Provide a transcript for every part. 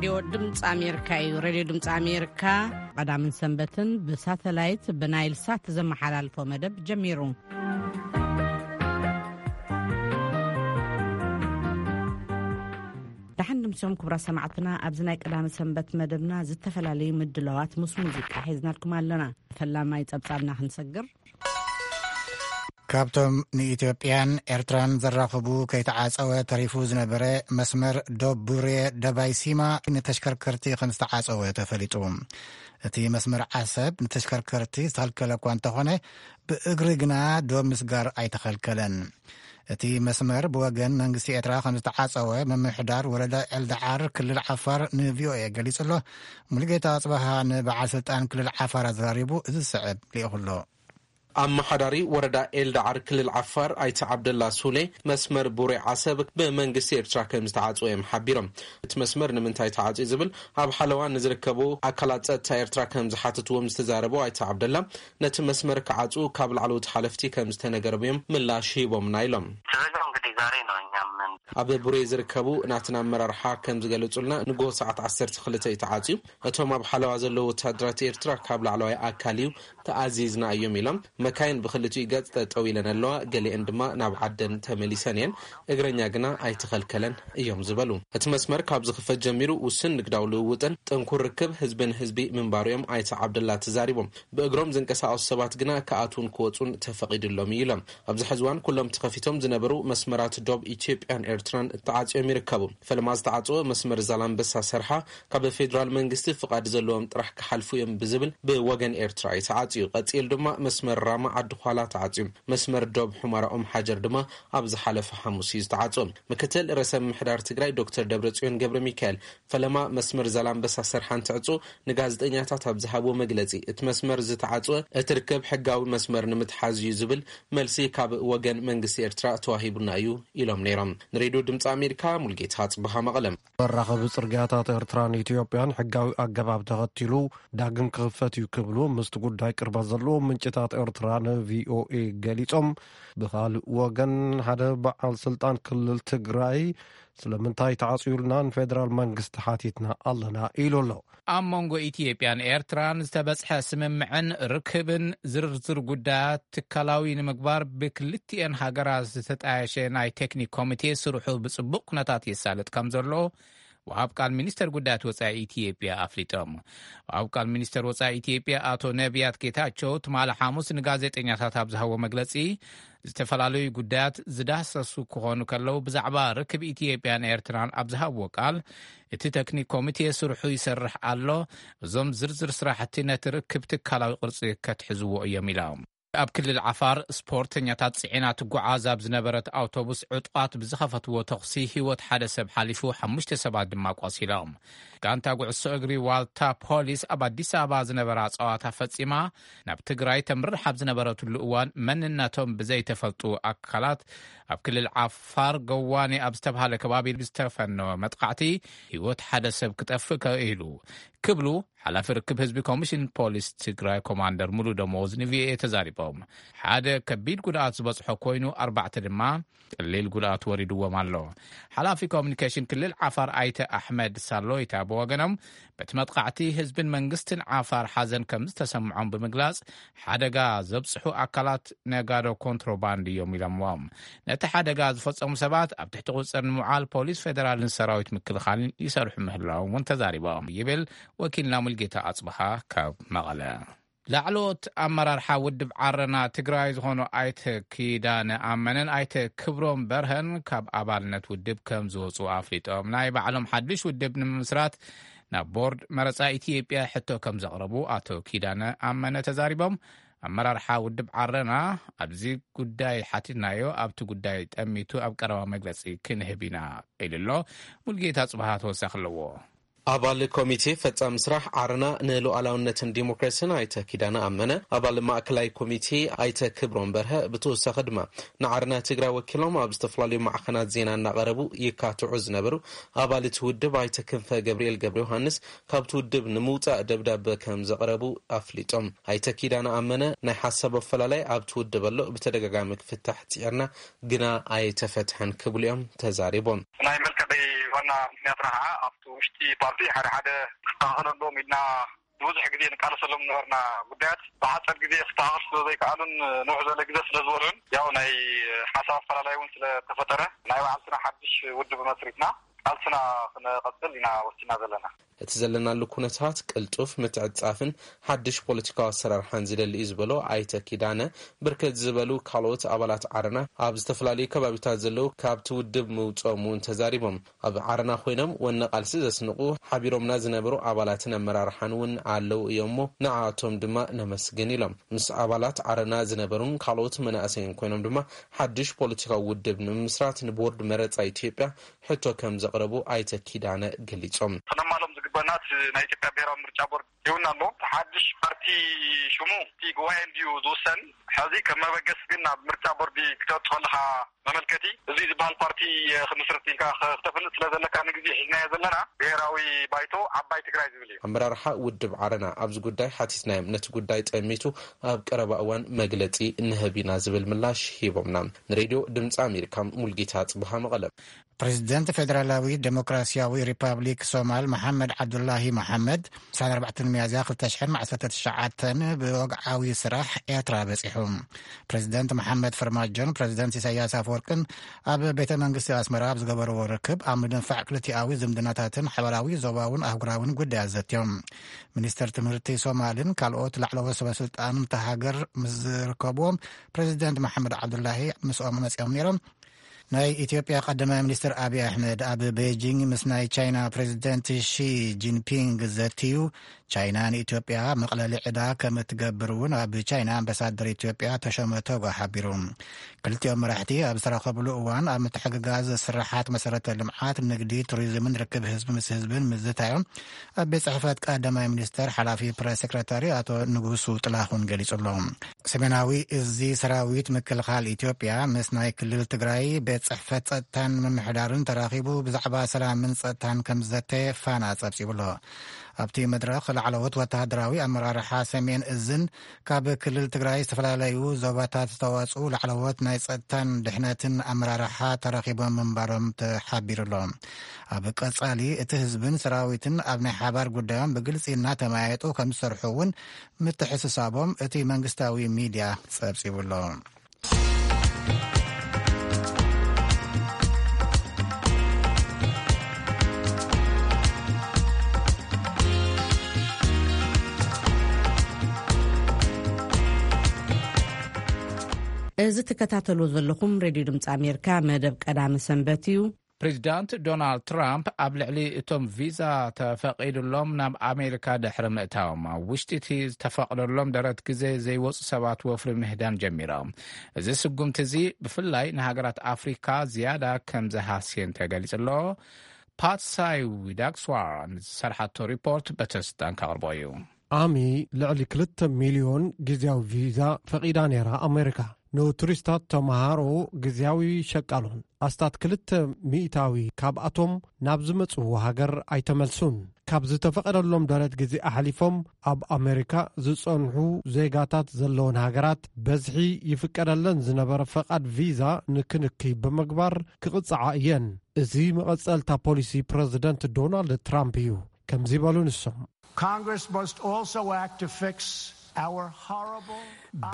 ሬድዮ ድምፂ ኣሜሪካ እዩ። ሬድዮ ድምፂ ኣሜሪካ ቀዳምን ሰንበትን ብሳተላይት ብናይል ሳት ዘመሓላልፎ መደብ ጀሚሩ። ደሓን ድምፅኦም ክቡራት ሰማዕትና፣ ኣብዚ ናይ ቀዳሚ ሰንበት መደብና ዝተፈላለዩ ምድላዋት ምስ ሙዚቃ ሒዝናልኩም ኣለና። ፈላማይ ጸብጻብና ክንሰግር። ካብቶም ንኢትዮጵያን ኤርትራን ዘራኽቡ ከይተዓጸወ ተሪፉ ዝነበረ መስመር ዶብ ቡሬ ደባይ ሲማ ንተሽከርከርቲ ከም ዝተዓጸወ ተፈሊጡ። እቲ መስመር ዓሰብ ንተሽከርከርቲ ዝተኸልከለ እኳ እንተኾነ፣ ብእግሪ ግና ዶብ ምስጋር ኣይተኸልከለን። እቲ መስመር ብወገን መንግስቲ ኤርትራ ከም ዝተዓጸወ ምምሕዳር ወረዳ ኤልደዓር ክልል ዓፋር ንቪኦኤ ገሊጹ ኣሎ። ሙሉጌታ ኣጽበሃ ንበዓል ስልጣን ክልል ዓፋር ኣዘራሪቡ እዚ ዝስዕብ ልኢኹ ኣሎ። ኣመሓዳሪ ወረዳ ኤልዳዓር ክልል ዓፋር ኣይተ ዓብደላ ሱሌ፣ መስመር ቡሬ ዓሰብ ብመንግስቲ ኤርትራ ከም ዝተዓጽወ እዮም ሓቢሮም። እቲ መስመር ንምንታይ ተዓጽዩ ዝብል ኣብ ሓለዋ ንዝርከቡ ኣካላት ጸጥታ ኤርትራ ከም ዝሓተትዎም ዝተዛረቡ ኣይተ ዓብደላ፣ ነቲ መስመር ክዓጽዉ ካብ ላዕለዎት ሓለፍቲ ከም ዝተነገሮም እዮም ምላሽ ሂቦምና ኢሎም። ተዘጋው እንግዲህ ዛሬ ነው እኛም ኣብ ቡሬ ዝርከቡ ናትና ኣመራርሓ ከም ዝገለጹልና፣ ንጎ ሰዓት ዓሰርተ ክልተ እዩ ተዓጽዩ። እቶም ኣብ ሓለዋ ዘለዉ ወታደራት ኤርትራ ካብ ላዕለዋይ ኣካል እዩ ተኣዚዝና እዮም ኢሎም። መካይን ብክልቲኡ ገጽ ጠጠው ኢለን ኣለዋ፣ ገሊአን ድማ ናብ ዓደን ተመሊሰን እየን። እግረኛ ግና ኣይተኸልከለን እዮም ዝበሉ። እቲ መስመር ካብ ዝኽፈት ጀሚሩ ውሱን ንግዳዊ ልውውጥን ጥንኩር ርክብ ህዝቢ ንህዝቢ ምንባሩ እዮም ኣይተ ዓብደላ ተዛሪቦም። ብእግሮም ዝንቀሳቐሱ ሰባት ግና ክኣትዉን ክወጹን ተፈቒዱሎም እዩ ኢሎም። ኣብዚ ሕዚ እዋን ኩሎም ተኸፊቶም ዝነበሩ መስመራት ዶብ ኢትዮጵያን ኤርትራን ተዓጽዮም ይርከቡ። ፈለማ ዝተዓጽወ መስመር ዛላምበሳ ሰርሓ ካብ ፌዴራል መንግስቲ ፍቓድ ዘለዎም ጥራሕ ክሓልፉ እዮም ብዝብል ብወገን ኤርትራ እዩ ተዓጽዩ። ቀጺሉ ድማ መስመር ራማ ዓዲ ኳላ ተዓጽዩ። መስመር ዶብ ሑመራ ኦም ሓጀር ድማ ኣብ ዝሓለፈ ሓሙስ እዩ ዝተዓጽወ። ምክትል ርእሰ ምምሕዳር ትግራይ ዶክተር ደብረጽዮን ገብረ ሚካኤል ፈለማ መስመር ዛላምበሳ ሰርሓ እንትዕጹ ንጋዜጠኛታት ኣብ ዝሃብዎ መግለጺ፣ እቲ መስመር ዝተዓጽወ እቲ ርክብ ሕጋዊ መስመር ንምትሓዝ እዩ ዝብል መልሲ ካብ ወገን መንግስቲ ኤርትራ ተዋሂቡና እዩ ኢሎም ነይሮም። ንሬድዮ ድምፂ ኣሜሪካ ሙልጌታ ጽቡሃ መቐለም። መራኸቢ ጽርግያታት ኤርትራን ኢትዮጵያን ሕጋዊ ኣገባብ ተኸቲሉ ዳግም ክኽፈት እዩ ክብሉ ምስቲ ጉዳይ ቅርበት ዘለዎም ምንጭታት ኤርትራ ንቪኦኤ ገሊጾም። ብኻልእ ወገን ሓደ በዓል ስልጣን ክልል ትግራይ ስለምንታይ ተዓጽዩልና ንፌደራል መንግስቲ ሓቲትና ኣለና ኢሉ ኣሎ። ኣብ መንጎ ኢትዮጵያን ኤርትራን ዝተበጽሐ ስምምዕን ርክብን ዝርዝር ጉዳያት ትካላዊ ንምግባር ብክልቲኤን ሃገራት ዝተጣየሸ ናይ ቴክኒክ ኮሚቴ ስርሑ ብጽቡቕ ኩነታት የሳልጥ ከም ዘሎ ወሃብ ቃል ሚኒስተር ጉዳያት ወጻኢ ኢትዮጵያ ኣፍሊጦም። ወሃብ ቃል ሚኒስተር ወጻኢ ኢትዮጵያ ኣቶ ነቢያት ጌታቸው ትማሊ ሓሙስ ንጋዜጠኛታት ኣብ ዝሃቦ መግለጺ፣ ዝተፈላለዩ ጉዳያት ዝዳሰሱ ክኾኑ ከለዉ፣ ብዛዕባ ርክብ ኢትዮጵያን ኤርትራን ኣብ ዝሃብዎ ቃል፣ እቲ ቴክኒክ ኮሚቴ ስርሑ ይሰርሕ ኣሎ። እዞም ዝርዝር ስራሕቲ ነቲ ርክብ ትካላዊ ቅርጺ ከትሕዝዎ እዮም ኢሎም። ኣብ ክልል ዓፋር ስፖርተኛታት ጽዒና ትጓዓዝ ኣብ ዝነበረት ኣውቶቡስ ዕጡቓት ብዝኸፈትዎ ተኹሲ ህይወት ሓደ ሰብ ሓሊፉ፣ ሓሙሽተ ሰባት ድማ ቆሲሎም። ጋንታ ጉዕሶ እግሪ ዋልታ ፖሊስ ኣብ ኣዲስ ኣበባ ዝነበራ ጸዋታ ፈጺማ ናብ ትግራይ ተምርሕ ኣብ ዝነበረትሉ እዋን፣ መንነቶም ብዘይተፈልጡ ኣካላት ኣብ ክልል ዓፋር ገዋኔ ኣብ ዝተባሃለ ከባቢ ብዝተፈነወ መጥቃዕቲ ህይወት ሓደ ሰብ ክጠፍእ ክኢሉ ክብሉ ሓላፊ ርክብ ህዝቢ ኮሚሽን ፖሊስ ትግራይ ኮማንደር ሙሉ ደሞዝ ንቪኦኤ ተዛሪቦም። ሓደ ከቢድ ጉድኣት ዝበጽሖ ኮይኑ፣ ኣርባዕተ ድማ ቀሊል ጉድኣት ወሪድዎም ኣሎ። ሓላፊ ኮሚኒኬሽን ክልል ዓፋር ኣይተ ኣሕመድ ሳሎይታ ብወገኖም፣ በቲ መጥቃዕቲ ህዝብን መንግስትን ዓፋር ሓዘን ከም ዝተሰምዖም ብምግላጽ፣ ሓደጋ ዘብጽሑ ኣካላት ነጋዶ ኮንትሮባንድ እዮም ኢሎምዎም። ነቲ ሓደጋ ዝፈጸሙ ሰባት ኣብ ትሕቲ ቁጽጽር ንምውዓል ፖሊስ ፌደራልን ሰራዊት ምክልኻልን ይሰርሑ ምህላዎም እውን ተዛሪቦም ይብል ወኪልና ሙልጌታ ኣጽብሃ ካብ መቐለ። ላዕለዎት ኣመራርሓ ውድብ ዓረና ትግራይ ዝኾኑ ኣይተ ኪዳነ ኣመነን ኣይተ ክብሮም በርሀን ካብ ኣባልነት ውድብ ከም ዝወፁ ኣፍሊጦም። ናይ ባዕሎም ሓድሽ ውድብ ንምምስራት ናብ ቦርድ መረፃ ኢትዮጵያ ሕቶ ከም ዘቕረቡ ኣቶ ኪዳነ ኣመነ ተዛሪቦም። ኣመራርሓ ውድብ ዓረና ኣብዚ ጉዳይ ሓቲትናዮ፣ ኣብቲ ጉዳይ ጠሚቱ ኣብ ቀረባ መግለፂ ክንህብ ኢና ኢሉ ኣሎ። ሙልጌታ ጽብሃ ተወሳኺ ኣለዎ። ኣባል ኮሚቴ ፈጻሚ ስራሕ ዓረና ንሉዓላውነትን ዲሞክራሲን ኣይተ ኪዳነ ኣመነ፣ ኣባል ማእከላይ ኮሚቴ ኣይተ ክብሮም በርሀ፣ ብተወሳኺ ድማ ንዓረና ትግራይ ወኪሎም ኣብ ዝተፈላለዩ ማዕኸናት ዜና እናቐረቡ ይካትዑ ዝነበሩ ኣባል እቲ ውድብ ኣይተ ክንፈ ገብርኤል ገብረ ዮሃንስ፣ ካብቲ ውድብ ንምውጻእ ደብዳበ ከም ዘቕረቡ ኣፍሊጦም። ኣይተ ኪዳነ ኣመነ፣ ናይ ሓሳብ ኣፈላላይ ኣብቲ ውድብ ኣሎ፣ ብተደጋጋሚ ክፍታሕ ጽዒርና፣ ግና ኣይተፈትሐን ክብሉ እዮም ተዛሪቦም። ናይ መልቀቂ ዋና ምክንያትና ከዓ ኣብቲ ውሽጢ ፓርቲ ሓደ ሓደ ክስተኻኸለሎም ኢልና ብዙሕ ግዜ ንቃለሰሎም ነበርና። ጉዳያት ብሓፀር ግዜ ክስተኻኸል ስለ ዘይከኣሉን ንውሕ ዝበለ ግዜ ስለ ዝበልዑን፣ ያው ናይ ሓሳብ ኣፈላላይ እውን ስለተፈጠረ፣ ናይ ባዕልትና ሓድሽ ውድብ መስሪትና ቃልስና ክንቐፅል ኢና ወሲና ዘለና። እቲ ዘለናሉ ኩነታት ቅልጡፍ ምትዕጻፍን ሓድሽ ፖለቲካዊ ኣሰራርሓን ዝደሊ እዩ ዝበሎ ኣይተ ኪዳነ፣ ብርክት ዝበሉ ካልኦት ኣባላት ዓረና ኣብ ዝተፈላለዩ ከባቢታት ዘለዉ ካብቲ ውድብ ምውፅኦም እውን ተዛሪቦም። ኣብ ዓረና ኮይኖም ወነ ቃልሲ ዘስንቑ ሓቢሮምና ዝነበሩ ኣባላትን ኣመራርሓን እውን ኣለዉ እዮም እሞ ንዓኣቶም ድማ ነመስግን ኢሎም። ምስ ኣባላት ዓረና ዝነበሩን ካልኦት መናእሰይን ኮይኖም ድማ ሓድሽ ፖለቲካዊ ውድብ ንምምስራት ንቦርድ መረፃ ኢትዮጵያ ሕቶ ከም ዘቕረቡ ኣይተ ኪዳነ ገሊጾም። ክነማሎም ዝግበና እቲ ናይ ኢትዮጵያ ብሔራዊ ምርጫ ቦርድ ይውና ኣሎ። እቲ ሓድሽ ፓርቲ ሽሙ እቲ ጉባኤ እንድዩ ዝውሰን። ሕዚ ከም መበገሲ ግን ናብ ምርጫ ቦርዲ ክተወጽእ ከለኻ መመልከቲ እዚ ዝበሃል ፓርቲ ክምስርት ኢልካ ክተፍልጥ ስለ ዘለካ ንግዜ ሒዝናዮ ዘለና ብሔራዊ ባይቶ ዓባይ ትግራይ ዝብል እዩ። ኣመራርሓ ውድብ ዓረና ኣብዚ ጉዳይ ሓቲትናዮም፣ ነቲ ጉዳይ ጠሚቱ ኣብ ቀረባ እዋን መግለጺ ንህብ ኢና ዝብል ምላሽ ሂቦምና። ንሬድዮ ድምፂ ኣሜሪካ ሙልጌታ ጽብሃ መቐለ። ፕሬዚደንት ፌደራላዊ ዴሞክራሲያዊ ሪፓብሊክ ሶማል መሓመድ ዓብዱላሂ መሓመድ፣ ዕስራን ኣርባዕተን ሚያዝያ ክልተ ሽሕን ዓሰርተ ትሽዓተን ብወግዓዊ ስራሕ ኤርትራ በጺሑ። ፕሬዚደንት መሓመድ ፈርማጆን ፕሬዚደንት ኢሳያስ ኣፈወርቅን ኣብ ቤተ መንግስቲ ኣስመራ ኣብ ዝገበርዎ ርክብ፣ ኣብ ምድንፋዕ ክልቲኣዊ ዝምድናታትን ሓበራዊ ዞባውን ኣህጉራውን ጉዳያት ዘትዮም። ሚኒስተር ትምህርቲ ሶማልን ካልኦት ላዕለዎት ሰበስልጣን እታ ሃገር ምስ ዝርከብዎም፣ ፕሬዚደንት መሓመድ ዓብዱላሂ ምስኦም መጺኦም ነይሮም። ናይ ኢትዮጵያ ቀዳማይ ሚኒስትር ኣብይ ኣሕመድ ኣብ ቤጂንግ ምስ ናይ ቻይና ፕሬዚደንት ሺ ጂንፒንግ ዘትዩ፣ ቻይና ንኢትዮጵያ መቕለሊ ዕዳ ከም እትገብር እውን ኣብ ቻይና ኣምባሳደር ኢትዮጵያ ተሾመ ቶጋ ሓቢሩ። ክልቲኦም መራሕቲ ኣብ ዝተራኸብሉ እዋን ኣብ ምትሕግጋዝ ስራሓት መሰረተ ልምዓት፣ ንግዲ፣ ቱሪዝምን ርክብ ህዝቢ ምስ ህዝብን ምዝታዮም ኣብ ቤት ጽሕፈት ቀዳማይ ሚኒስተር ሓላፊ ፕረስ ሴክረታሪ ኣቶ ንጉሱ ጥላሁን ገሊጹ ኣሎ። ሰሜናዊ እዚ ሰራዊት ምክልኻል ኢትዮጵያ ምስ ናይ ክልል ትግራይ ቤት ጽሕፈት ጸጥታን ምምሕዳርን ተራኺቡ ብዛዕባ ሰላምን ጸጥታን ከም ዝዘተ ፋና ጸብጺቡ ኣሎ። ኣብቲ መድረኽ ላዕለዎት ወተሃደራዊ ኣመራርሓ ሰሜን እዝን ካብ ክልል ትግራይ ዝተፈላለዩ ዞባታት ዝተዋጽኡ ላዕለዎት ናይ ጸጥታን ድሕነትን ኣመራርሓ ተራኺቦም ምንባሮም ተሓቢሩ ኣሎ። ኣብ ቀጻሊ እቲ ህዝብን ሰራዊትን ኣብ ናይ ሓባር ጉዳዮም ብግልጺ እናተመያየጡ ከም ዝሰርሑ እውን ምትሕስሳቦም እቲ መንግስታዊ ሚድያ ጸብጺቡ ኣሎ። እዚ ትከታተልዎ ዘለኹም ሬድዮ ድምፂ ኣሜሪካ መደብ ቀዳመ ሰንበት እዩ። ፕሬዚዳንት ዶናልድ ትራምፕ ኣብ ልዕሊ እቶም ቪዛ ተፈቒዱሎም ናብ ኣሜሪካ ድሕሪ ምእታዎም ኣብ ውሽጢ እቲ ዝተፈቕደሎም ደረት ግዜ ዘይወፁ ሰባት ወፍሪ ምህዳን ጀሚሮም። እዚ ስጉምቲ እዚ ብፍላይ ንሃገራት ኣፍሪካ ዝያዳ ከም ዝሃስየን ተገሊጹ ኣሎ። ፓትሳይ ዊዳክስዋራ ንዝሰርሓቶ ሪፖርት በተስዳን ከቕርቦ እዩ። ኣሚ ልዕሊ ክልተ ሚልዮን ግዜያዊ ቪዛ ፈቒዳ ነይራ ኣሜሪካ። ንቱሪስታት፣ ተምሃሮ፣ ግዜያዊ ሸቃሎን ኣስታት ክልተ ሚእታዊ ካብኣቶም ናብ ዝመጽዎ ሃገር ኣይተመልሱን። ካብ ዝተፈቐደሎም ደረት ግዜ ኣሕሊፎም ኣብ ኣሜሪካ ዝጸንሑ ዜጋታት ዘለወን ሃገራት በዝሒ ይፍቀደለን ዝነበረ ፈቓድ ቪዛ ንክንክይ ብምግባር ክቕጽዓ እየን። እዚ መቐጸልታ ፖሊሲ ፕረዚደንት ዶናልድ ትራምፕ እዩ። ከምዚ በሉ ንሶም። Congress must also act to fix our horrible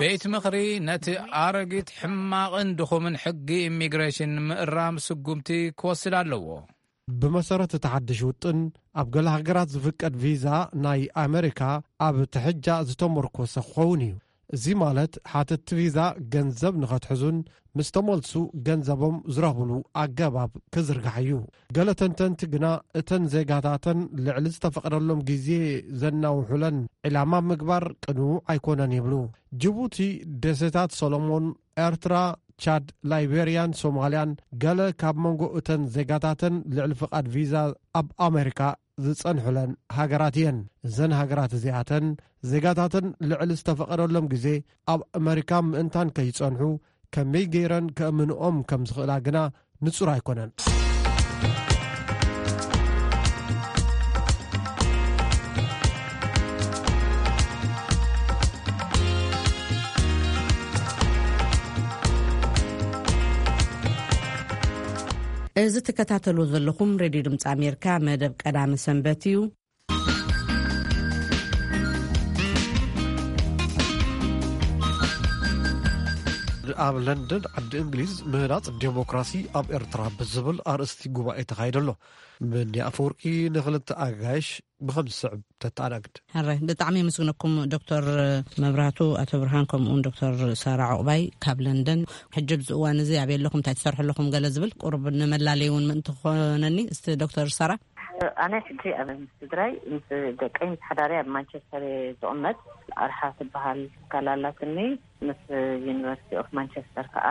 ቤት ምኽሪ ነቲ ኣረጊት ሕማቕን ድኹምን ሕጊ ኢሚግሬሽን ንምእራም ስጉምቲ ክወስድ ኣለዎ። ብመሰረት እቲ ሓድሽ ውጥን፣ ኣብ ገለ ሃገራት ዝፍቀድ ቪዛ ናይ ኣመሪካ ኣብ ትሕጃ ዝተመርኮሰ ክኸውን እዩ። እዚ ማለት ሓተትቲ ቪዛ ገንዘብ ንኸትሕዙን ምስ ተመልሱ ገንዘቦም ዝረኽብሉ ኣገባብ ክዝርጋሕ እዩ። ገለ ተንተንቲ ግና እተን ዜጋታተን ልዕሊ ዝተፈቐደሎም ግዜ ዘናውሑለን ዕላማ ምግባር ቅኑዕ ኣይኮነን ይብሉ። ጅቡቲ፣ ደሴታት ሰሎሞን፣ ኤርትራ፣ ቻድ፣ ላይቤርያን ሶማልያን ገለ ካብ መንጎ እተን ዜጋታተን ልዕሊ ፍቓድ ቪዛ ኣብ ኣሜሪካ ዝጸንሑለን ሃገራት እየን። እዘን ሃገራት እዚኣተን ዜጋታተን ልዕሊ ዝተፈቐደሎም ግዜ ኣብ ኣመሪካ ምእንታን ከይጸንሑ ከመይ ገይረን ከእምንኦም ከም ዝኽእላ ግና ንጹር ኣይኮነን። እዚ ትከታተሉ ዘለኹም ሬድዮ ድምፂ ኣሜሪካ መደብ ቀዳመ ሰንበት እዩ። ኣብ ለንደን ዓዲ እንግሊዝ ምህናጽ ዴሞክራሲ ኣብ ኤርትራ ብዝብል ኣርእስቲ ጉባኤ ተኻይዱ ኣሎ። መኒ ኣፈወርቂ ንኽልተ ኣጋይሽ ብኸም ዝስዕብ ተተኣናግድ። ሕራይ፣ ብጣዕሚ የመስግነኩም ዶክተር መብራህቱ፣ ኣቶ ብርሃን፣ ከምኡውን ዶክተር ሳራ ዑቕባይ ካብ ለንደን። ሕጂ ኣብዚ እዋን እዚ ኣበይ ኣለኹም፣ እንታይ ትሰርሑ ኣለኹም፣ ገለ ዝብል ቁሩብ ንመላለይ እውን ምእንቲ ክኾነኒ። እስቲ ዶክተር ሳራ። ኣነ ሕጂ ኣብ ምስ ስድራይ፣ ምስ ደቀይ፣ ምስ ሓዳረይ ኣብ ማንቸስተር እየ ዝቕመጥ። ኣርሓ ትበሃል ትካል ኣላትኒ። ምስ ዩኒቨርሲቲ ኦፍ ማንቸስተር ከዓ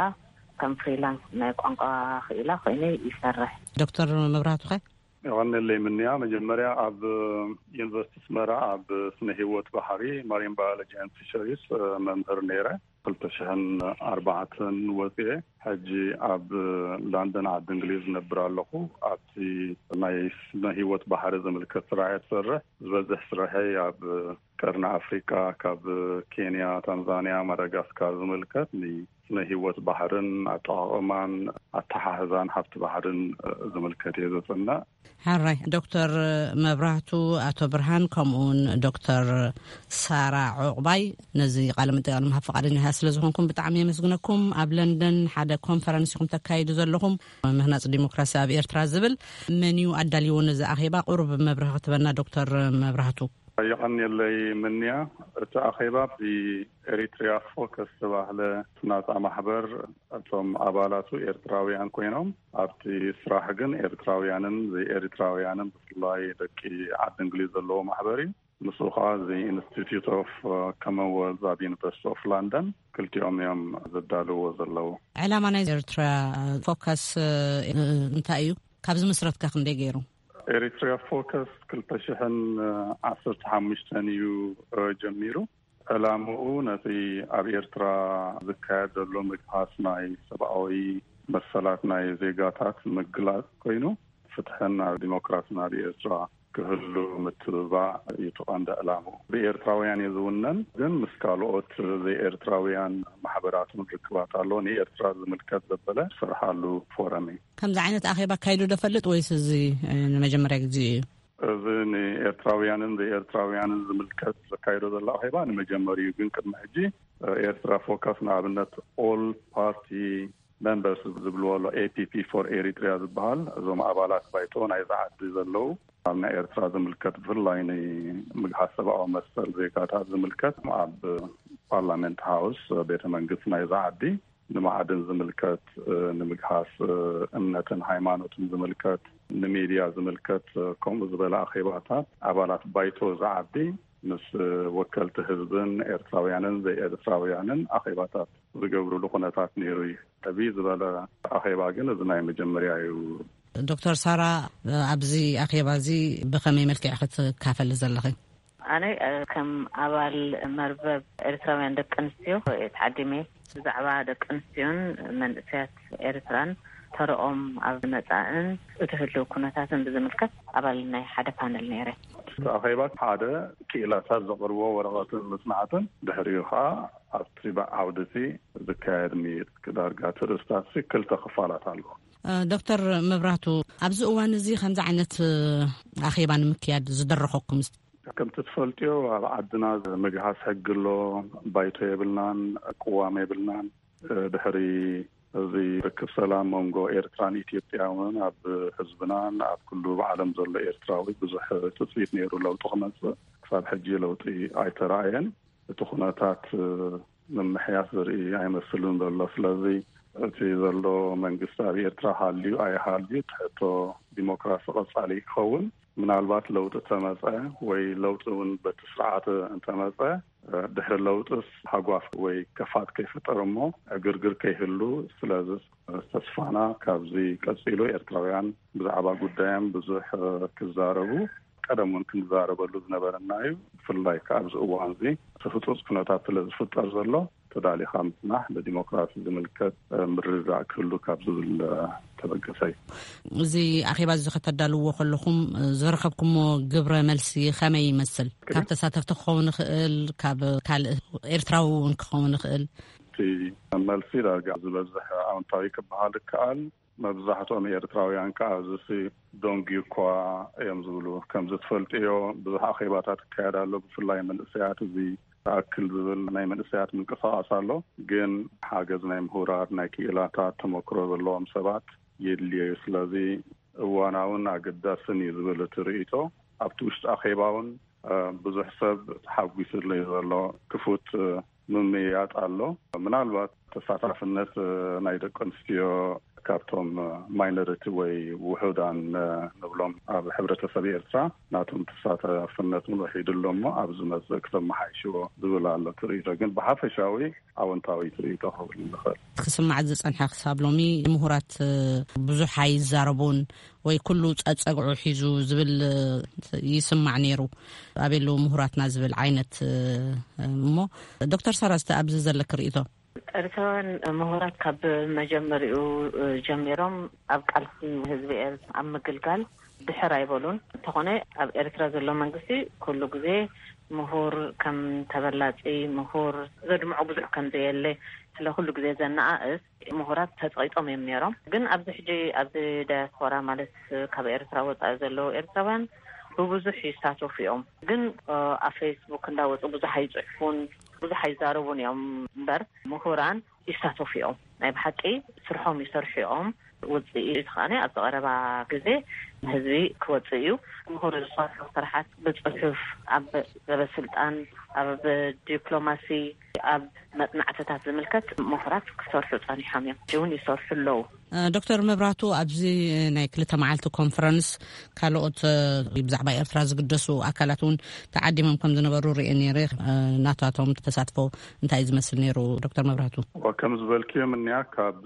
ከም ፍሪላንስ ናይ ቋንቋ ክኢላ ኮይነ ይሰርሕ። ዶክተር መብራህቱ ኸ? የቐንየለይ ምንያ፣ መጀመርያ ኣብ ዩኒቨርሲቲ ኣስመራ ኣብ ስነ ህይወት ባሕሪ፣ ማሪን ባዮሎጂ ኤንድ ፊሸሪስ፣ መምህር ነይረ። ክልተ ሽሕን ኣርባዕተን ወፅኤ፣ ሕጂ ኣብ ላንደን ዓዲ እንግሊዝ ነብር ኣለኹ። ኣብቲ ናይ ስነ ህይወት ባሕሪ ዝምልከት ስራሕ እየ ዝሰርሕ። ዝበዝሕ ስራሐይ ኣብ ቀርኒ ኣፍሪቃ፣ ካብ ኬንያ፣ ታንዛንያ፣ ማዳጋስካር ዝምልከት ንስነ ህይወት ባሕርን ኣጠቓቕማን ኣተሓሕዛን ሃብቲ ባሕርን ዝምልከት እየ ዘፅንዕ። ሕራይ፣ ዶክተር መብራህቱ፣ ኣቶ ብርሃን፣ ከምኡውን ዶክተር ሳራ ዑቕባይ፣ ነዚ ቃለ መጠይቕ ንምሃብ ፈቓደኛታት ስለ ዝኾንኩም ብጣዕሚ የመስግነኩም። ኣብ ለንደን ሓደ ኮንፈረንስ ኢኹም ተካይዱ ዘለኹም፣ ምህናጽ ዲሞክራሲ ኣብ ኤርትራ ዝብል። መን እዩ ኣዳልይዎ ነዚ ኣኼባ? ቁሩብ መብርሂ ክትበና ዶክተር መብራህቱ። የቐንየለይ ምንያ። እቲ ኣኼባ ብኤሪትሪያ ፎከስ ዝተባህለ ናጻ ማሕበር፣ እቶም ኣባላቱ ኤርትራውያን ኮይኖም፣ ኣብቲ ስራሕ ግን ኤርትራውያንን ዘይኤሪትራውያንን፣ ብፍላይ ደቂ ዓዲ እንግሊዝ ዘለዎ ማሕበር እዩ። ምስኡ ከዓ እዚ ኢንስቲትዩት ኦፍ ኮመንወልዝ ኣብ ዩኒቨርሲቲ ኦፍ ላንደን፣ ክልቲኦም እዮም ዘዳልዎ ዘለዉ። ዕላማ ናይ ኤርትራ ፎከስ እንታይ እዩ? ካብ ዝምስረትካ ክንደይ ገይሩ? ኤሪትሪያ ፎከስ ክልተ ሽሕን ዓሰርተ ሓሙሽተን እዩ ጀሚሩ። ዕላምኡ ነቲ ኣብ ኤርትራ ዝካየድ ዘሎ ምግሃስ ናይ ሰብኣዊ መሰላት ናይ ዜጋታት ምግላጽ ኮይኑ፣ ፍትሕን ዲሞክራስን ኣብ ኤርትራ ክህሉ ምትብባዕ እዩ እቲ ቀንዲ ዕላምኡ። ብኤርትራውያን እዩ ዝውነን፣ ግን ምስ ካልኦት ዘይኤርትራውያን ማሕበራትን ርክባት ኣሎ። ንኤርትራ ዝምልከት ዘበለ ዝሰርሓሉ ፎረም እዩ። ከምዚ ዓይነት ኣኼባ ኣካይዱ ዶ ፈልጥ ወይስ እዚ ንመጀመርያ ግዜ እዩ? እዚ ንኤርትራውያንን ዘይኤርትራውያንን ዝምልከት ዘካይዶ ዘሎ ኣኼባ ንመጀመሪኡ፣ ግን ቅድሚ ሕጂ ኤርትራ ፎካስ ንኣብነት ኦል ፓርቲ ሜምበርስ ዝብልዎ ኣሎ፣ ኤፒፒ ፎር ኤሪትሪያ ዝበሃል፣ እዞም ኣባላት ባይቶ ናይዛ ዓዲ ዘለዉ፣ ኣብ ናይ ኤርትራ ዝምልከት ብፍላይ ንምግሃስ ሰብኣዊ መሰል ዜጋታት ዝምልከት ኣብ ፓርላመንት ሃውስ፣ ቤተ መንግስቲ ናይዛ ዓዲ፣ ንማዕድን ዝምልከት፣ ንምግሃስ እምነትን ሃይማኖትን ዝምልከት፣ ንሚድያ ዝምልከት፣ ከምኡ ዝበለ ኣኼባታት ኣባላት ባይቶ ዝዓቢ ምስ ወከልቲ ህዝብን ኤርትራውያንን ዘይኤርትራውያንን ኣኼባታት ዝገብርሉ ኩነታት ነይሩ እዩ። ዕብይ ዝበለ ኣኼባ ግን እዚ ናይ መጀመርያ እዩ። ዶክተር ሳራ፣ ኣብዚ ኣኼባ እዚ ብኸመይ መልክዕ ክትካፈል ዘለኺ? ኣነ ከም ኣባል መርበብ ኤርትራውያን ደቂ ኣንስትዮ ተዓዲመ። ብዛዕባ ደቂ ኣንስትዮን መንእሰያት ኤርትራን፣ ተረኦም ኣብ መጻእን እቲ ህልው ኩነታትን ብዝምልከት ኣባል ናይ ሓደ ፓነል ነይረ። እቲ ኣኼባ ሓደ ክኢላታት ዘቕርብዎ ወረቐትን መጽናዕትን፣ ድሕሪኡ ኸኣ ኣብቲ ዓውዲ እቲ ዝካየድ ምይይጥ፣ ዳርጋ እቲ ርእስታት ክልተ ክፋላት ኣለዎ። ዶክተር መብራቱ፣ ኣብዚ እዋን እዚ ከምዚ ዓይነት ኣኼባ ንምክያድ ዝደረኸኩም? ከምቲ ትፈልጥዮ፣ ኣብ ዓድና ምግሃስ ሕጊ ኣሎ፣ ባይቶ የብልናን፣ ቅዋም የብልናን። ድሕሪ እዚ ርክብ ሰላም መንጎ ኤርትራን ኢትዮጵያ እውን ኣብ ህዝብናን ኣብ ኩሉ ብዓለም ዘሎ ኤርትራዊ ብዙሕ ትጽቢት ነይሩ ለውጢ ክመጽእ። ክሳብ ሕጂ ለውጢ ኣይተራእየን። እቲ ኩነታት ምምሕያሽ ዝርኢ ኣይመስልን ዘሎ። ስለዚ እቲ ዘሎ መንግስቲ ኣብ ኤርትራ ሃልዩ ኣይሃልዩ፣ እቲ ሕቶ ዲሞክራሲ ቀጻሊ ክኸውን፣ ምናልባት ለውጢ ተመጸ ወይ ለውጢ እውን በቲ ስርዓት እንተመጸ፣ ድሕሪ ለውጥስ ሃጓፍ ወይ ከፋት ከይፍጠር እሞ ዕግርግር ከይህሉ። ስለዚ ተስፋና ካብዚ ቀጺሉ ኤርትራውያን ብዛዕባ ጉዳዮም ብዙሕ ክዛረቡ፣ ቀደም እውን ክንዛረበሉ ዝነበረና እዩ። ብፍላይ ከኣ ኣብዚ እዋን እዚ እቲ ህጹጽ ኩነታት ስለ ዝፍጠር ዘሎ፣ ተዳሊኻ ምጽናሕ ንዲሞክራሲ ዝምልከት ምርድዳእ ክህሉ ካብ ዝብል ተበገሰ እዩ። እዚ ኣኼባ እዚ ከተዳልዎ ከለኹም ዝረኸብኩሞ ግብረ መልሲ ከመይ ይመስል? ካብ ተሳተፍቲ ክኸውን ይኽእል፣ ካብ ካልእ ኤርትራዊ እውን ክኸውን ይኽእል። እቲ መልሲ ዳርጋ ዝበዝሕ ኣወንታዊ ክበሃል ይከኣል። መብዛሕትኦም ኤርትራውያን ከኣ እዚ ደንጉዩ እኳ እዮም ዝብሉ። ከምዚ ትፈልጥዮ፣ ብዙሕ ኣኼባታት ይካየድ ኣሎ። ብፍላይ መንእሰያት፣ እዚ ተኣክል ዝብል ናይ መንእሰያት ምንቅስቓስ ኣሎ። ግን ሓገዝ ናይ ምሁራት፣ ናይ ክኢላታት፣ ተመክሮ ዘለዎም ሰባት የድልዮ እዩ። ስለዚ እዋናውን ኣገዳስን እዩ ዝብል እቲ ርእይቶ። ኣብቲ ውሽጢ ኣኼባ እውን ብዙሕ ሰብ ተሓጒስሉ እዩ ዘሎ። ክፉት ምምይያጥ ኣሎ። ምናልባት ተሳታፍነት ናይ ደቂ ኣንስትዮ ካብቶም ማይኖሪቲ ወይ ውሑዳን ንብሎም ኣብ ሕብረተሰብ ኤርትራ ናቶም ተሳታፍነት እውን ወሒዱ ኣሎ እሞ፣ ኣብ ዝመጽእ ክተመሓይሽዎ ዝብል ኣሎ ትርኢቶ። ግን ብሓፈሻዊ ኣወንታዊ ትርኢቶ ክብል ንኽእል። ክስማዕ ዝጸንሐ ክሳብ ሎሚ፣ ምሁራት ብዙሕ ኣይዛረቡን ወይ ኩሉ ጸጸግዑ ሒዙ ዝብል ይስማዕ ነይሩ። ኣበይ ኣለዉ ምሁራትና ዝብል ዓይነት እሞ፣ ዶክተር ሳራ፣ እስቲ ኣብዚ ዘለክ ርእይቶ? ኤርትራውያን ምሁራት ካብ መጀመሪኡ ጀሚሮም ኣብ ቃልሲ ህዝቢ ኤርትራ ኣብ ምግልጋል ድሕር ኣይበሉን። እንተኾነ ኣብ ኤርትራ ዘሎ መንግስቲ ኩሉ ግዜ ምሁር ከም ተበላጺ፣ ምሁር ዘድምዖ ብዙሕ ከም ዘየለ፣ ስለ ኩሉ ግዜ ዘነኣእስ ምሁራት ተጸቂጦም እዮም ነይሮም። ግን ኣብዚ ሕጂ ኣብዚ ዳያስፖራ፣ ማለት ካብ ኤርትራ ወጻኢ ዘለዉ ኤርትራውያን ብብዙሕ ይሳተፉ እዮም። ግን ኣብ ፌስቡክ እንዳወጹ ብዙሕ ኣይጽሕፉን፣ ብዙሕ ኣይዛረቡን እዮም እምበር፣ ምሁራን ይሳተፉ እዮም። ናይ ብሓቂ ስርሖም ይሰርሑ እዮም። ውጽኢት ከኣ ኣብዚ ቀረባ ግዜ ንህዝቢ ክወጽእ እዩ። ምሁር ዝሰርሑ ስራሓት ብጽሑፍ፣ ኣብ ሰበስልጣን፣ ኣብ ዲፕሎማሲ፣ ኣብ መጽናዕትታት ዝምልከት ምሁራት ክሰርሑ ጸኒሖም እዮም። ሕጂ እውን ይሰርሑ ኣለዉ። ዶክተር መብራቱ፣ ኣብዚ ናይ ክልተ መዓልቲ ኮንፈረንስ ካልኦት ብዛዕባ ኤርትራ ዝግደሱ ኣካላት እውን ተዓዲሞም ከም ዝነበሩ ርእየ ነይረ። ናታቶም ተሳትፎ እንታይ ዝመስል ነይሩ? ዶክተር መብራቱ። ከም ዝበልክዮ፣ እኒኣ ካብ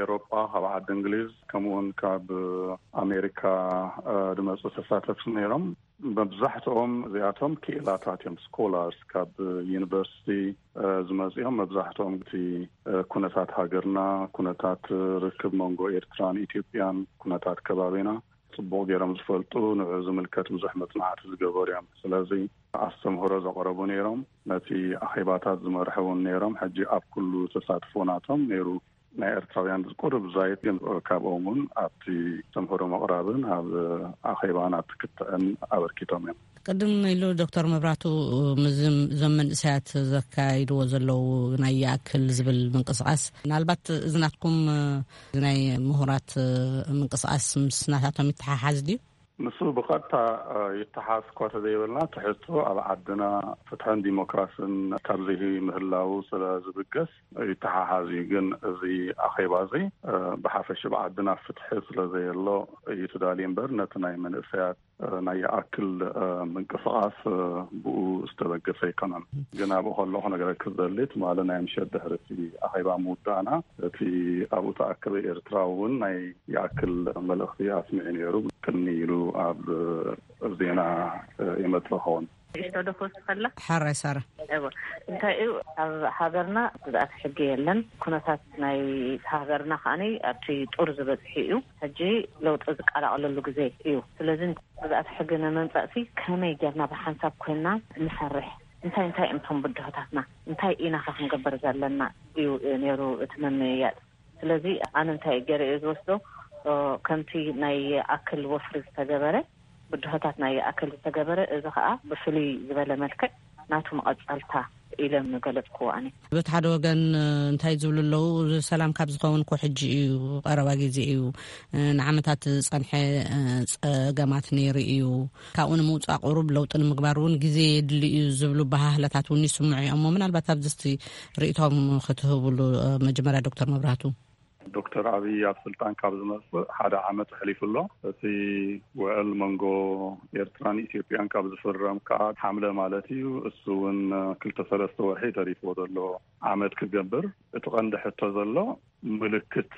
ኤሮጳ፣ ካብ ዓዲ እንግሊዝ፣ ከምኡውን ካብ ኣሜሪካ ዝመፁ ተሳተፍቲ ነይሮም። መብዛሕትኦም እዚኣቶም ክኢላታት እዮም፣ ስኮላርስ፣ ካብ ዩኒቨርሲቲ ዝመፁ እዮም። መብዛሕትኦም እቲ ኩነታት ሃገርና፣ ኩነታት ርክብ መንጎ ኤርትራን ኢትዮጵያን፣ ኩነታት ከባቢና ፅቡቕ ገይሮም ዝፈልጡ፣ ንዑ ዝምልከት ብዙሕ መፅናዕቲ ዝገበሩ እዮም። ስለዚ ኣስተምህሮ ዘቕረቡ ነይሮም፣ ነቲ ኣኼባታት ዝመርሑ እውን ነይሮም። ሕጂ ኣብ ኩሉ ተሳትፎ ናቶም ነይሩ። ናይ ኤርትራውያን ዝቁርብ ዛይት ግን ካብኦም እውን ኣብቲ ኣስተምህሮ ምቕራብን ኣብ ኣኼባን ኣብቲ ክትዕን ኣበርኪቶም እዮም። ቅድም ኢሉ ዶክተር መብራቱ፣ እዞም መንእሰያት ዘካይድዎ ዘለዉ ናይ ይኣክል ዝብል ምንቅስቃስ፣ ምናልባት እዚ ናትኩም ናይ ምሁራት ምንቅስቃስ ምስ ናታቶም ይተሓሓዝ ድዩ? ንሱ ብቐጥታ ይተሓዝ እኳ ተዘይበልና፣ ትሕዝቶ ኣብ ዓድና ፍትሕን ዲሞክራስን ካብ ዘይምህላው ስለ ዝብገስ ይተሓሓዝ እዩ። ግን እዚ ኣኼባ እዚ ብሓፈሽ ኣብ ዓድና ፍትሒ ስለ ዘየሎ እዩ ተዳልዩ እምበር፣ ነቲ ናይ መንእሰያት ናይ ይኣክል ምንቅስቃስ ብኡ ዝተበገሰ ኣይኮነን። ግን ኣብኡ ከለኹ ክነግረኪ ዝደሊ፣ ትማሊ ናይ ምሸት ድሕሪ እቲ ኣኼባ ምውዳእና፣ እቲ ኣብኡ ተኣከበ ኤርትራዊ እውን ናይ ይኣክል መልእኽቲ ኣስሚዑ ነይሩ። ቅድሚ ኢሉ ኣብ ዜና ይመጽእ ኸውን። ንእሽቶ ዶ ክወስኸላ? ሓራይ ሳራ። እወ። እንታይ እዩ፣ ኣብ ሃገርና ግዝኣት ሕጊ የለን። ኩነታት ናይ ሃገርና ከኣኒ ኣብቲ ጡር ዝበጽሕ እዩ። ሕጂ ለውጢ ዝቀላቐለሉ ግዜ እዩ። ስለዚ ግዝኣት ሕጊ ንምምጻእሲ ከመይ ጌርና ብሓንሳብ ኮይንና ንሰርሕ? እንታይ እንታይ እዮም እቶም ብድሆታትና? እንታይ ኢና ከ ክንገብር ዘለና እዩ ነይሩ እቲ ምምይያጥ። ስለዚ ኣነ እንታይ ገይረ እየ ዝወስዶ፣ እ፣ ከምቲ ናይ ኣክል ወፍሪ ዝተገበረ፣ ብድሆታት ናይ ኣክል ዝተገበረ፣ እዚ ኸኣ ብፍልይ ዝበለ መልክዕ ናቱ መቐጸልታ ኢለ ምገለጽክዎ ኣነ። በቲ ሓደ ወገን፣ እ፣ እንታይ ዝብሉ ኣለዉ፣ ሰላም ካብ ዝኸውን እኮ ሕጂ እዩ፣ ቀረባ ግዜ እዩ፣ እ፣ ንዓመታት ዝጸንሐ፣ እ፣ ጸገማት ነይሩ እዩ፣ ካብኡ ንምውጻእ ቁሩብ ለውጢ ንምግባር እውን ግዜ የድሊ እዩ ዝብሉ ባህህለታት እውን ይስምዑ እዮም። እሞ ምናልባት ኣብዚ እስቲ ርእይቶም ክትህብሉ፣ እ፣ መጀመርያ ዶክተር መብራህቱ። ዶክተር ኣብይ ኣብ ስልጣን ካብ ዝመጽእ ሓደ ዓመት ኣሕሊፉ ኣሎ። እቲ ውዕል መንጎ ኤርትራን ኢትዮጵያን ካብ ዝፍረም ከኣ ሓምለ ማለት እዩ። እሱ እውን ክልተ ሰለስተ ወርሒ ተሪፍዎ ዘሎ ዓመት ክገብር። እቲ ቀንዲ ሕቶ ዘሎ ምልክት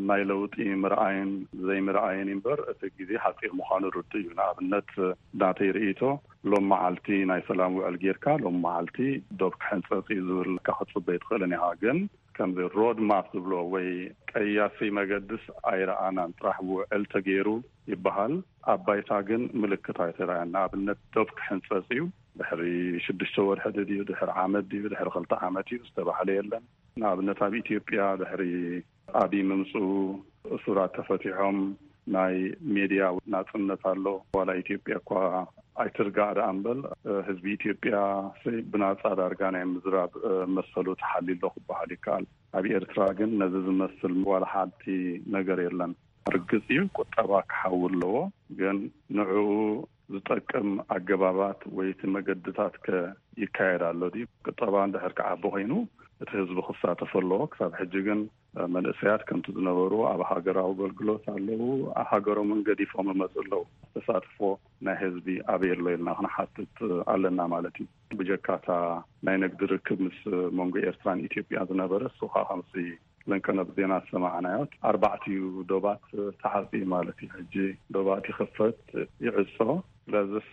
ናይ ለውጢ ምርኣይን ዘይምርኣይን እምበር፣ እቲ ግዜ ሓጺር ምዃኑ ርዱእ እዩ። ንኣብነት ናተይ ርእይቶ፣ ሎም መዓልቲ ናይ ሰላም ውዕል ጌርካ፣ ሎም መዓልቲ ዶብ ክሕንጸጽ እዩ ዝብል ክትጽበ ኣይትኽእልን ኢኻ። ግን ከምዚ ሮድ ማፕ ዝብሎ ወይ ቀያሲ መገድስ ኣይረኣናን። ጥራሕ ውዕል ተገይሩ ይበሃል፣ ኣብ ባይታ ግን ምልክት ኣይተረኣየን። ንኣብነት ዶብ ክሕንጸጽ እዩ፣ ድሕሪ ሽዱሽተ ወርሒ ድዩ፣ ድሕሪ ዓመት ድዩ፣ ድሕሪ ክልተ ዓመት እዩ ዝተባህለ የለን። ንኣብነት ኣብ ኢትዮጵያ ድሕሪ ኣብይ ምምፅኡ እሱራት ተፈቲሖም፣ ናይ ሜድያ ናጽነት ኣሎ። ዋላ ኢትዮጵያ እኳ ኣይትርጋእ ደኣ እምበል፣ ህዝቢ ኢትዮጵያ ብናጻ ዳርጋ ናይ ምዝራብ መሰሉ ተሓልዩ ኣሎ ክበሃል ይከኣል። ኣብ ኤርትራ ግን ነዚ ዝመስል ዋላ ሓንቲ ነገር የለን። ርግጽ እዩ፣ ቁጠባ ክሓዊ ኣለዎ፣ ግን ንዕኡ ዝጠቅም ኣገባባት ወይ እቲ መገድታት ከ ይካየድ ኣሎ ድዩ? ቁጠባ እንድሕር ክዓቢ ኮይኑ እቲ ህዝቢ ክሳተፍ ኣለዎ። ክሳብ ሕጂ ግን መንእሰያት ከምቲ ዝነበሩ ኣብ ሃገራዊ ኣገልግሎት ኣለዉ፣ ሃገሮምን ገዲፎም ይመጹ ኣለዉ። ተሳትፎ ናይ ህዝቢ ኣበይ ኣሎ ኢልና ክንሓትት ኣለና ማለት እዩ። ብጀካታ ናይ ንግዲ ርክብ ምስ መንጎ ኤርትራን ኢትዮጵያ ዝነበረ፣ እሱ ኸኣ ከምሲ ለንቀነብ ዜና ዝሰማዕናዮ፣ ኣርባዕቲኡ ዶባት ተዓጽዩ ማለት እዩ። ሕጂ ዶባት ይኽፈት ይዕጾ። ስለዚስ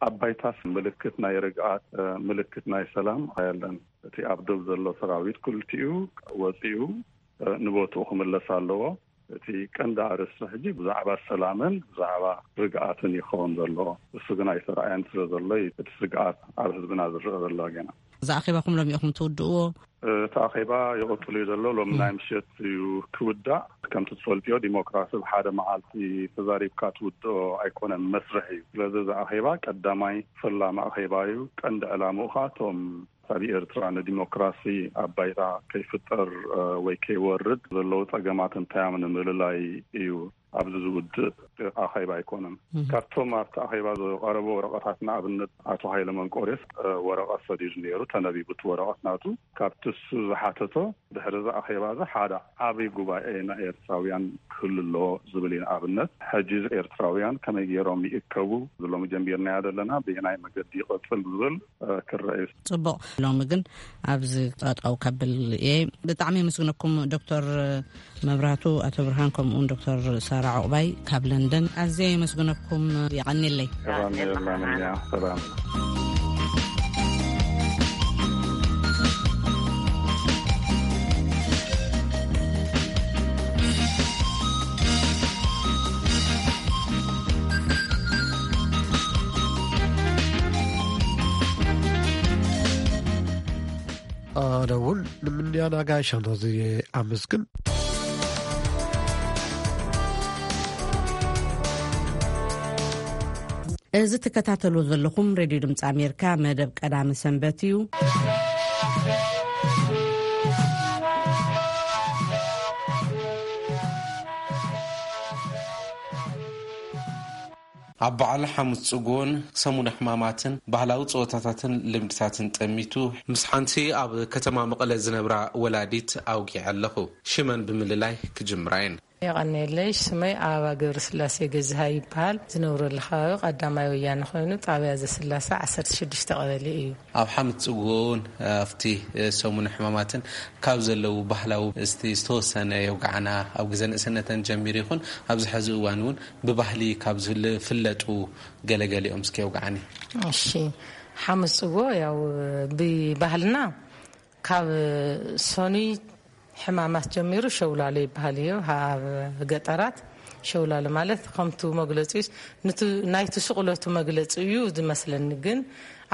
ኣብ ባይታስ ምልክት ናይ ርግኣት፣ ምልክት ናይ ሰላም ኣየለን። እቲ ኣብ ዶብ ዘሎ ሰራዊት ክልቲኡ ወጺኡ ንቦትኡ ክምለስ ኣለዎ። እቲ ቀንዲ ኣርእስቲ ሕጂ ብዛዕባ ሰላምን ብዛዕባ ርግኣትን ይኸውን ዘሎ። እሱ ግን ኣይተረኣየን ስለ ዘሎ እዩ እቲ ስግኣት ኣብ ህዝብና ዝረአ ዘሎ ጌና። እዛ ኣኼባኹም ሎሚ ኢኹም ትውድእዎ? እቲ ኣኼባ ይቕጽል እዩ ዘሎ። ሎም ናይ ምሸት እዩ ክውዳእ። ከምቲ ትፈልጥዮ ዲሞክራሲ ብሓደ መዓልቲ ተዛሪብካ ትውድኦ ኣይኮነን፣ መስርሕ እዩ። ስለዚ እዚ ኣኼባ ቀዳማይ ፈላሚ ኣኼባ እዩ። ቀንዲ ዕላምኡ ኸኣ እቶም ኣብ ኤርትራ ንዲሞክራሲ ኣብ ባይታ ከይፍጠር ወይ ከይወርድ ዘለዉ ጸገማት እንታይ እዮም ንምልላይ እዩ። ኣብዚ ዝውድእ ኣኼባ ኣይኮነን። ካብቶም ኣብቲ ኣኼባ ዝቐረቡ ወረቐታት ንኣብነት ኣቶ ሃይለ መንቆርዮስ ወረቐት ሰዲዱ ነይሩ፣ ተነቢቡ እቲ ወረቐት ናቱ። ካብቲ እሱ ዝሓተቶ ድሕሪ እዚ ኣኼባ እዚ ሓደ ዓቢ ጉባኤ ናይ ኤርትራውያን ክህሉ ኣለዎ ዝብል እዩ። ንኣብነት ሕጂ ኤርትራውያን ከመይ ገይሮም ይእከቡ ዝሎም ጀሚርናዮ ዘለና ብየናይ መገዲ ይቐጽል ዝብል ክረአ እዩ። ጽቡቕ። ሎሚ ግን ኣብዚ ጠጠው ከብል እየ። ብጣዕሚ የመስግነኩም ዶክተር መብራህቱ፣ ኣቶ ብርሃን፣ ከምኡውን ዶክተር ሳራ ዑቕባይ ካብ ለንደን ኣዝየ የመስግነኩም። የቐንየለይ። ሰላም የላን እያ። ሰላም። ኣነ እውን ንምንያን ኣጋይሽ ኣምሳዝየ ኣመስግን። እዚ ትከታተሉ ዘለኹም ሬድዮ ድምፂ ኣሜሪካ መደብ ቀዳመ ሰንበት እዩ። ኣብ በዓል ሓሙስ ጽጉን ሰሙነ ሕማማትን ባህላዊ ጸወታታትን ልምድታትን ጠሚቱ፣ ምስ ሓንቲ ኣብ ከተማ መቐለ ዝነብራ ወላዲት ኣውጊዐ ኣለኹ። ሽመን ብምልላይ ክጅምራ እየን። የቐንየለይ፣ ሽመይ ኣበባ ገብረስላሴ ገዝሃ ይበሃል። ዝነብረሉ ከባቢ ቀዳማይ ወያነ ኮይኑ፣ ጣብያ ዘስላሰ ዓሰርተ ሽዱሽተ ቀበሌ እዩ። ኣብ ሓሙስ ጽጉን ኣብቲ ሰሙነ ሕማማትን ካብ ዘለዉ ባህላዊ እስቲ ዝተወሰነ የውግዓና። ኣብ ግዜ ንእስነተን ጀሚሩ ይኹን ኣብዚ ሕዚ እዋን እውን ብባህሊ ካብ ዝፍለጡ ገለገሊኦም እስኪ የውግዓኒ። እሺ፣ ሓሙስ ጽጎ ያው ብባህልና ካብ ሰኑይ ሕማማት ጀሚሩ ሸውላሎ ይበሃል እዩ። ኣብ ገጠራት ሸውላሎ ማለት ከምቱ መግለጺ፣ ናይቲ ስቕለቱ መግለጺ እዩ ዝመስለኒ። ግን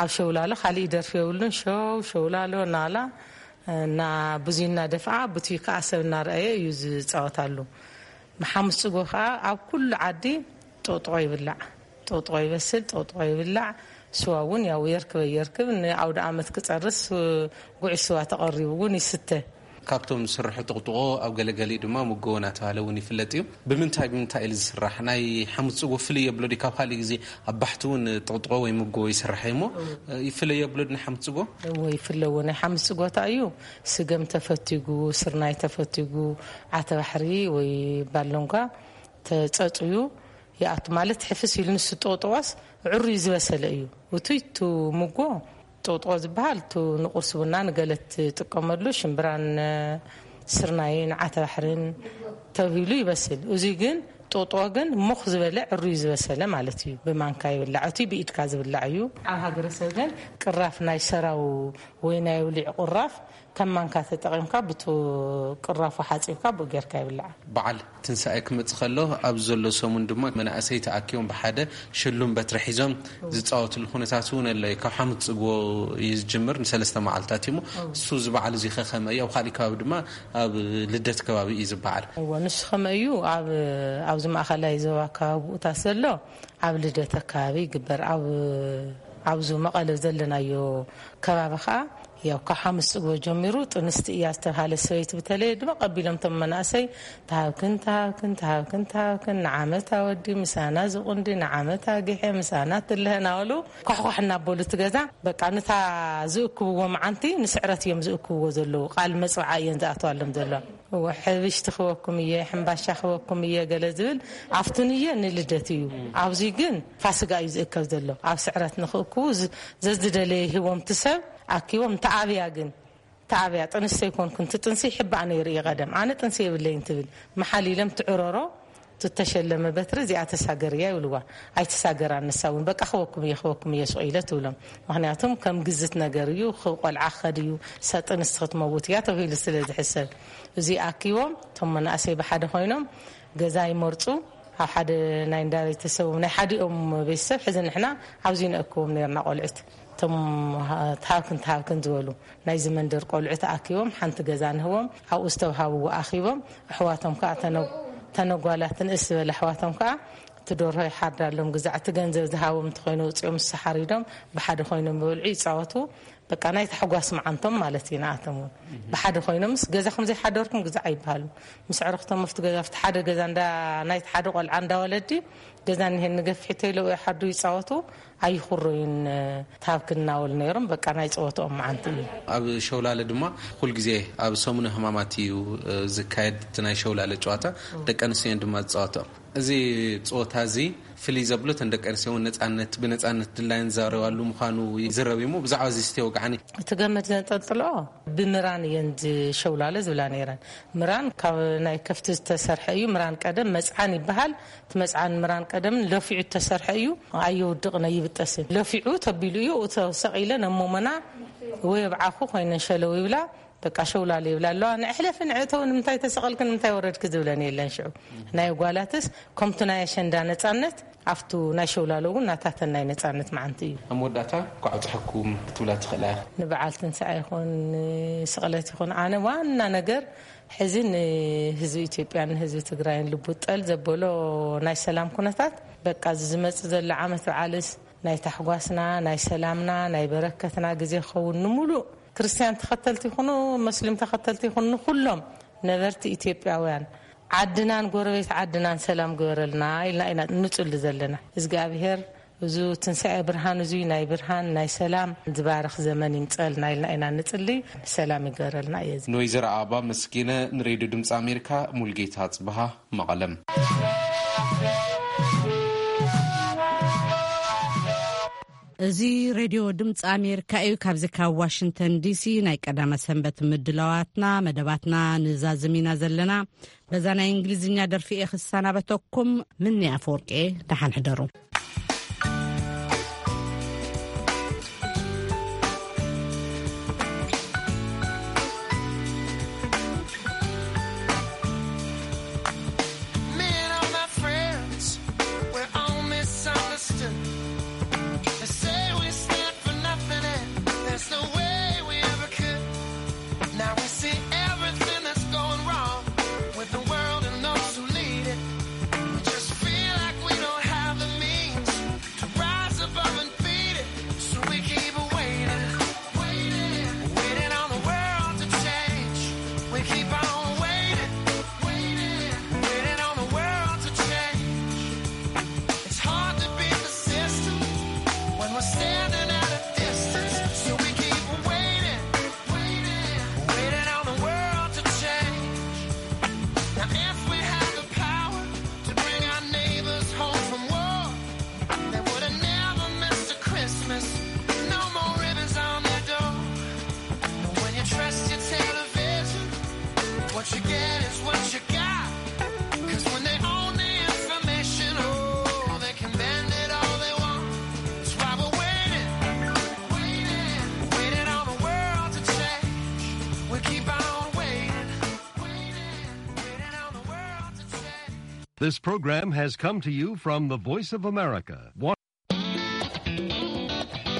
ኣብ ሸውላሎ ካሊእ ደርፊ የብሉን። ሸው፣ ሸውላሎ፣ ናላ እና ብዙይ እናደፍኣ፣ ብትይ ከዓ ሰብ እናረኣየ እዩ ዝፃወታሉ። ብሓሙስ ጽጎ ከዓ ኣብ ኩሉ ዓዲ ጥቕጥቆ ይብላዕ። ጥቕጥቆ ይበስል፣ ጥቕጥቆ ይብላዕ። ስዋ እውን ያው የርክበ የርክብ ንኣውደ ዓመት ክፀርስ ጉዕሽ ስዋ ተቐሪቡ እውን ይስተ። ካብቶም ዝስርሑ ጥቕጥቆ ኣብ ገለገሊኡ ድማ ምጎ እናተባህለ እውን ይፍለጥ እዩ። ብምንታይ ብምንታይ እዩ ዝስራሕ? ናይ ሓሙስ ጽጎ ፍልይ የብሎ ድዩ? ካብ ካልእ ግዜ ኣብ ባሕቲ እውን ጥቕጥቆ ወይ ምጎ ይስራሕ እዩ እሞ፣ ይፍለይ የብሎ ድዩ ናይ ሓሙስ ጽጎ? እዎ ይፍለዎ። ናይ ሓሙስ ጽጎታ እዩ። ስገም ተፈቲጉ፣ ስርናይ ተፈቲጉ፣ ዓተባሕሪ ወይ ባሎንጓ ተጸጽዩ ይኣቱ። ማለት ሕፍስ ኢሉ ንሱ ጥቕጥቆስ ዕሩይ ዝበሰለ እዩ። እቱይ እቱ ምጎ ጥቕጥቆ ዝበሃል እቱ ንቁርሲ ቡና ንገለ ትጥቀመሉ ሽምብራን ስርናይን ዓተባሕርን ተብሂሉ ይበስል። እዙይ ግን ጦጦ ግን ሙኽ ዝበለ ዕሩይ ዝበሰለ ማለት እዩ። ብማንካ ይብላዕ፣ እቲ ብኢድካ ዝብላዕ እዩ። ኣብ ሃገረሰብ ግን ቅራፍ ናይ ሰራው ወይ ናይ ውሊዕ ቁራፍ ከም ማንካ ተጠቒምካ ብቱ ቅራፉ ሓጺብካ ብኡ ጌርካ ይብላዕ። በዓል ትንሳኤ ክመጽእ ከሎ ኣብ ዘሎ ሰሙን ድማ መናእሰይ ተኣኪቦም ብሓደ ሽሉም በትሪ ሒዞም ዝጻወትሉ ኩነታት እውን ኣሎ። ካብ ሓሙስ ጽግቦ እዩ ዝጅምር፣ ንሰለስተ መዓልታት እዩ። እሱ እዚ በዓል እዚ ከ ከመይ እዩ? ኣብ ካሊእ ከባቢ ድማ ኣብ ልደት ከባቢ እዩ ዝበዓል። እዎ፣ ንሱ ከመይ እዩ? ኣብ፣ ኣብዚ ማእኸላይ ዞባ ከባቢ ብኡታት ዘሎ ኣብ ልደት ኣከባቢ ይግበር። ኣብ፣ ኣብዚ መቐለ ዘለናዮ ከባቢ ከዓ ያው ካብ ሓሙስ ጽግቦ ጀሚሩ ጥንስቲ እያ ዝተባሃለ ሰበይቲ ብተለየ ድማ ቀቢሎም እቶም መናእሰይ ተሃብክን፣ ተሃብክን፣ ተሃብክን፣ ተሃብክን፣ ንዓመት ኣወዲ ምሳና ዝቑንዲ፣ ንዓመት ኣጊሐ ምሳና ትልሀ እናበሉ ኳሕኳሕ እናበሉ እቲ ገዛ በቃ ነታ ዝእክብዎ መዓንቲ ንስዕረት እዮም ዝእክብዎ ዘለዉ። ቃል መጽውዓ እየን ዝኣትዋሎም ዘሎ። እወ፣ ሕብሽቲ ክበኩም እየ፣ ሕምባሻ ክበኩም እየ ገለ ዝብል ኣብቲ ንየ ንልደት እዩ። ኣብዚ ግን ፋስጋ እዩ ዝእከብ ዘሎ። ኣብ ስዕረት ንኽእክቡ ዝ-፣ ዘዝደለየ ሂቦም እቲ ሰብ ኣኪቦም። ተኣብያ ግን፣ ተኣብያ ጥንሲ ኣይኮንኩን፣ እቲ ጥንሲ ይሕባእ ነይሩ እዩ ቀደም። ኣነ ጥንሲ የብለይን ትብል። መሓል ኢሎም ትዕረሮ፣ እቲ ተሸለመ በትሪ እዚኣ ተሳገርያ ይብልዋ። ኣይተሳገራን ንሳ እውን። በቃ ክበኩም እየ፣ ክበኩም እየ ስቕ ኢለ ትብሎም። ምኽንያቱም ከም ግዝት ነገር እዩ፣ ኽ-፣ ቆልዓ ክኸድ እዩ፣ ሰ-፣ ጥንሲ ክትመውት እያ ተባሂሉ ስለ ዝሕሰብ። እዚ ኣኪቦም፣ እቶም መናእሰይ ብሓደ ኮይኖም ገዛ ይመርጹ። ኣብ ሓደ ናይ እንዳ ቤተሰቦም፣ ናይ ሓዲኦም ቤተሰብ ሕዚ ንሕና ኣብዚ ነእክቦም ነርና ቆልዑት። እቶም ሃ-፣ ተሃብክን ተሃብክን ዝበሉ ናይዚ መንደር ቆልዑ ተኣኪቦም ሓንቲ ገዛ ንህቦም። ኣብኡ ዝተውሃብዎ ኣኺቦም። ኣሕዋቶም ከኣ ተነ-፣ ተነጓላት ንእስ ዝበለ ኣሕዋቶም ከኣ እቲ ደርሆ ይሓርዳሎም። ግዛዕ እቲ ገንዘብ ዝሃቦም እንተኾይኑ ውፅኦም ንሳ ሓሪዶም ብሓደ ኮይኖም ይበልዑ ይፃወቱ። በቃ ናይ ታሕጓስ መዓንቶም ማለት እዩ። ንኣቶም እውን ብሓደ ኮይኖምስ ገዛ ከም ዘይሓደርኩም ግዛዕ ኣይበሃሉ። ምስ ዕርኽቶም ኣብቲ ገዛ ኣብቲ ሓደ ገዛ እንዳ ናይቲ ሓደ ቆልዓ እንዳ ወለዲ ገዛ እኒሄን ንገፊሕ ተይለው ይሓዱ ይፃወቱ ኣይኹረዩን። ታብክ እናበሉ ነይሮም። በቃ ናይ ፀወትኦም መዓንቲ እዩ። ኣብ ሸውላለ ድማ ኩልግዜ ኣብ ሰሙነ ህማማት እዩ፣ እ፣ ዝካየድ እቲ ናይ ሸውላለ ጨዋታ። ደቂ ኣንስትዮ እየን ድማ ዝፃወትኦ። እዚ ፀወታ እዚ ፍልይ ዘብሎ እተን ደቂ ኣንስትዮ እውን ነፃነት፣ ብነፃነት ድላየን ዝዛረባሉ ምዃኑ ይዝረብ እዩ። እሞ ብዛዕባ እዚ እስቲ ወግዓኒ። እቲ ገመድ ዘንጠልጥልኦ ብምራን እየን ዝሸውላለ ዝብላ ነይረን። ምራን ካብ ናይ ከፍቲ ዝተሰርሐ እዩ። ምራን ቀደም መፅዓን ይበሃል። እቲ መፅዓን ምራን ቀደም ለፊዑ ዝተሰርሐ እዩ። ኣየውድቕን ኣይብጠስን። ለፊዑ ተቢሉ እዩ። እቶ ሰቒለን ኣብ ሞሞና ወይ ኣብ ዓኹ ኮይነን ሸለው ይብላ። በቃ ሸውላለ ይብላ ኣለዋ። ንእሕለፊ ንእተው ንምንታይ ተሰቐልክን ንምንታይ ወረድክ ዝብለን የለን። ሽዑ ናይ ጓላትስ ከምቱ ናይ ኣሸንዳ ነፃነት ኣብቱ ናይ ሸውላለ እውን ናታተን ናይ ነፃነት መዓንቲ እዩ። ኣብ መወዳእታ እንኳዕ ኣብፀሐኩም ክትብላ ትኽእላ ኢኻ። ንበዓል ትንሳኤ ይኹን ንስቕለት ይኹን ኣነ ዋና ነገር ሕዚ ንህዝቢ ኢትዮጵያን ንህዝቢ ትግራይን ልቡ ጠል ዘበሎ ናይ ሰላም ኩነታት በቃ እዚ ዝመፅእ ዘሎ ዓመት በዓልስ ናይ ታሕጓስና ናይ ሰላምና ናይ በረከትና ግዜ ክኸውን ንምሉእ ክርስትያን ተኸተልቲ ይኹኑ መስሊም ተኸተልቲ ይኹኑ ንኩሎም ነበርቲ ኢትዮጵያውያን ዓድናን ጎረቤት ዓድናን ሰላም ግበረልና ኢልና ኢና ንጽሊ ዘለና። እዝግኣብሄር እዚ ትንሳኤ ብርሃን እዙይ ናይ ብርሃን ናይ ሰላም ዝባርኽ ዘመን ይምጸልና ኢልና ኢና ንጽሊ። ሰላም ይገረልና እየ። ንወይዘሮ ኣበባ መስኪነ ንሬድዮ ድምፂ ኣሜሪካ ሙልጌታ ጽብሃ መቐለም። እዚ ሬድዮ ድምፂ ኣሜሪካ እዩ። ካብዚ ካብ ዋሽንግተን ዲሲ ናይ ቀዳመ ሰንበት ምድላዋትና መደባትና ንዛዝም ኢና ዘለና። በዛ ናይ እንግሊዝኛ ደርፊ እየ ክሰናበተኩም። ምኒ ኣፈወርቂ፣ ደሓን ሕደሩ። Me and all my friends, we're all misunderstood. They say we stand for nothing, and there's no way we ever could. Now we see everything that's going wrong with the world and those who lead it. We just feel like we don't have the means to rise above and beat it. So we keep waiting, waiting, waiting on the world to change. We keep on waiting, waiting, waiting on the world to change. It's hard to beat the system when we're standing at a distance. So we keep waiting, waiting, waiting on the world to change. Now if we had the power to bring our neighbors home from war, they would have never missed a Christmas. No more ribbons on their door. But when you trust your television, what you get is what you got. 'Cause when they own the This program has come to you from the Voice of America,